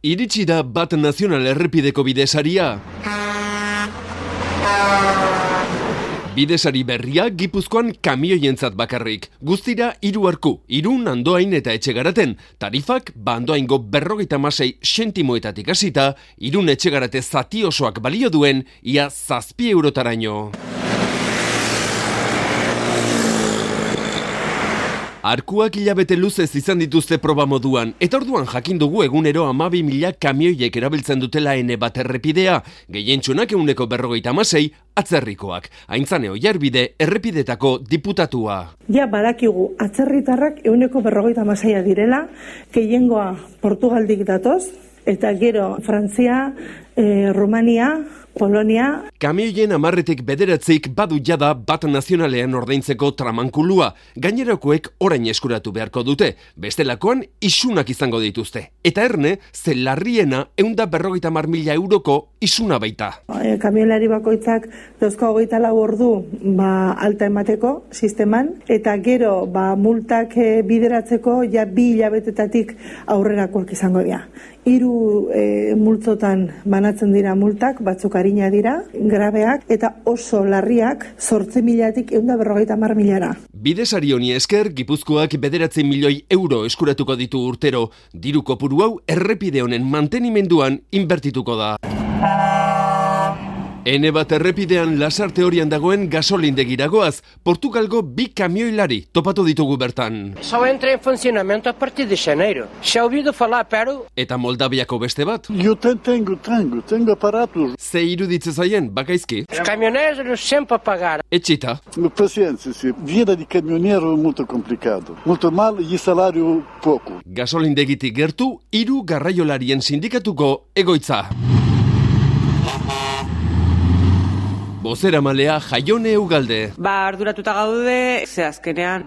Iritsi da Bat Nazional errepideko bidesaria. Bidesari berria Gipuzkoan kamioientzat bakarrik. Guztira 3 arku, Irun, Andoain eta Etxegaraten. Tarifak Andoaingo 56 sentimoetatik hasita, Irun Etxegarate zati osoak balio duen ia 7 eurotaraino. Arkuak hilabete luzez izan dituzte proba moduan, eta orduan jakin dugu egunero 12.000 kamioiek erabiltzen dutela Bat errepidea, gehientsunak 156 atzerrikoak. Aintzane Oiarbide errepidetako diputatua. Ja badakigu atzerritarrak 156 direla, gehiengoa Portugaldik datoz, eta gero Frantzia, Rumania, Polonia. Kamioien 10-9 badu jada Bat Nazionalean ordaintzeko tramankulua. Gainerakoek orain eskuratu beharko dute. Bestelakoan isunak izango dituzte. Eta erne, ze larriena 150.000 euroko isuna baita. Kamioilari bakoitzak 24 ordu alta emateko sisteman, eta gero multak bideratzeko ja 2 hilabetetatik aurrerakoak izango dira. 3 multzotan banatzen dira multak, batzuk arina dira, grabeak, eta oso larriak 8.000-tik 150.000-ra. Bidesari honi esker, Gipuzkoak 9 milioi euro eskuratuko ditu urtero. Diru kopuru hau errepide honen mantenimenduan inbertituko da. Bat errepidean Lasarte horian dagoen gasolindegiragoaz, Portugalgo 2 kamioilari topatu ditugu bertan. Só entra en funcionamento a partir de janeiro. Já ouvido falar, pero... Eta Moldaviako beste bat? Eu tenho aparatos. Ze iruditze zaien, bakaizki? Os caminhoneiros sempre a pagar. Etxita. Paciência, vida de caminhoneiro muito complicado. Muito mal e salário pouco. Gasolindegitik gertu, 3 garraiolarien sindikatuko egoitza. Bozeramalea Jaione Ugalde. Arduratuta gaude, ze azkenean,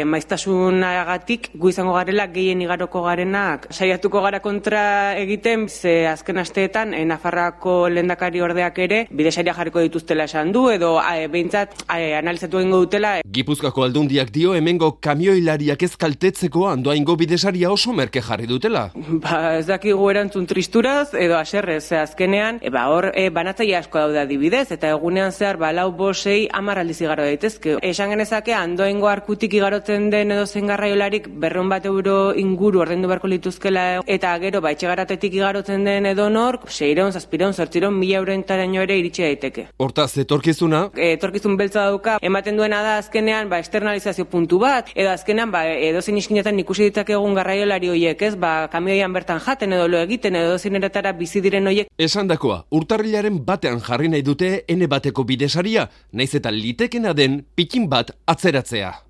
maiztasunagatik gu izango garela gehien igaroko garenak. Saiatuko gara kontra egiten, ze azken asteetan, Nafarroako lehendakari ordeak ere, bidesaria jarriko dituztela esan du, edo behintzat analizatu egingo dutela. Gipuzkoako aldundiak dio hemengo kamioilariak ez kaltetzeko Andoaingo bidesaria oso merke jarri dutela. Ez dakigu erantzun tristuraz, edo aserrez, ze azkenean, hor banatzaile asko daude adibidez, eta egunean zehar 4-5 10 aldiz igaro daitezke. Esan genezake Andoaingo arkutik igarotzen den edo zen garraiolarik 200 euro inguru ordaindu beharko lituzkela, eta gero Etxegaratetik igarotzen den edo nork 600, 700, 800, 1.000 euroentaraino ere iritsi daiteke. Hortaz, etorkizuna? Etorkizun beltza dauka, ematen duena da azkenean externalizazio puntu bat, edo azkenean edozein iskinetan ikusi ditzakegun garraiolari horiek, kamioian bertan jaten edo lo egiten edo edozein eretara bizi diren horiek. Esandakoa, urtarrilaren batean jarri nahi dute bateko bidesaria, naiz eta litekena den pikin bat atzeratzea.